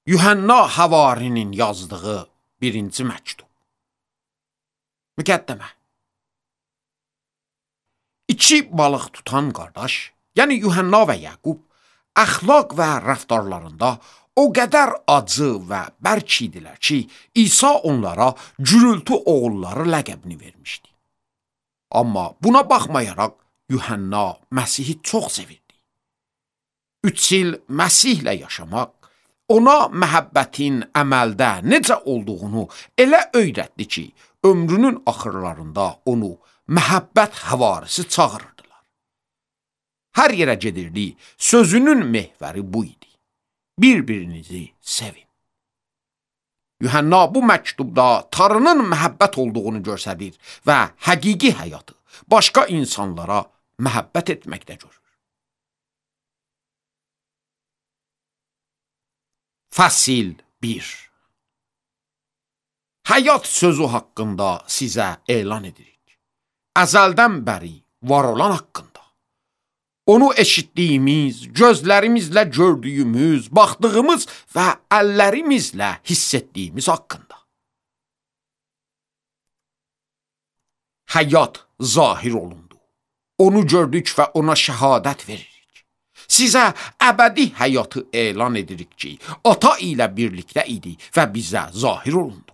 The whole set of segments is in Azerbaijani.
Yuhanna Havarinin yazdığı birinci məktub. Müqəddimə. İki balıq tutan qardaş, yəni Yuhanna və Yaqub, əxlaq və rəftarlarında o qədər acı və bərk idilər ki, İsa onlara gürültü oğulları ləqəbini vermişdi. Amma buna baxmayaraq, Yuhanna Məsihi çox sevirdi. 3 il Məsihlə yaşamaq, ona məhəbbətin əməldə necə olduğunu elə öyrətdi ki, ömrünün axırlarında onu məhəbbət həvarisi çağırırdılar. Hər yerə gedirdi, sözünün mehvəri bu idi. Bir-birinizi sevin. Yuhanna bu məktubda Tanrının məhəbbət olduğunu göstərir və həqiqi həyatı başqa insanlara məhəbbət etməkdə görür. Fəsil 1. Həyat sözü haqqında sizə elan edirik. Əzəldən bəri var olan haqqında. Onu eşitdiyimiz, gözlərimizlə gördüyümüz, baxdığımız və əllərimizlə hiss etdiyimiz haqqında. Həyat zahir olundu. Onu gördük və ona şəhadət veririk. Sizə əbədi həyatı elan edirik ki, ata ilə birlikdə idi və bizə zahir olundu.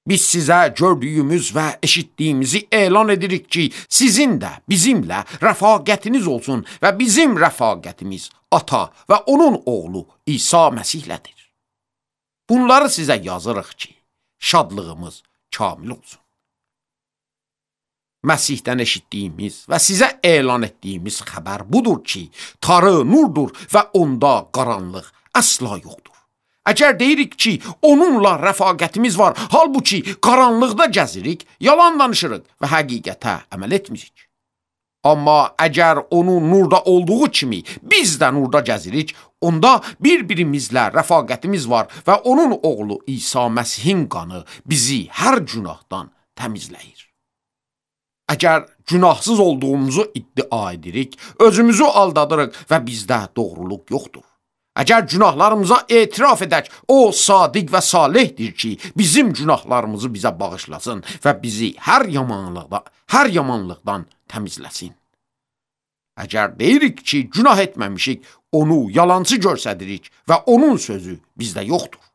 Biz sizə gördüyümüz və eşitdiyimizi elan edirik ki, sizin də bizimlə rəfaqətiniz olsun və bizim rəfaqətimiz ata və onun oğlu İsa Məsihlədir. Bunları sizə yazırıq ki, şadlığımız kamil olsun. Məsihdən eşitdiyimiz və sizə elan etdiyimiz xəbər budur ki, Tanrı nurdur və onda qaranlıq əsla yoxdur. Əgər deyirik ki, onunla rəfaqətimiz var, halbuki qaranlıqda gəzirik, yalan danışırıq və həqiqətə əməl etmirik. Amma əgər onun nurda olduğu kimi biz də nurda gəzirik, onda bir-birimizlə rəfaqətimiz var və onun oğlu İsa Məsihin qanı bizi hər günahdan təmizləyir. Əgər günahsız olduğumuzu iddia edirik, özümüzü aldadırıq və bizdə doğruluq yoxdur. Əgər günahlarımıza etiraf edək, o sadiq və salihdir ki, bizim günahlarımızı bizə bağışlasın və bizi hər yamanlıqdan təmizləsin. Əgər deyirik ki, günah etməmişik, onu yalancı göstəririk və onun sözü bizdə yoxdur.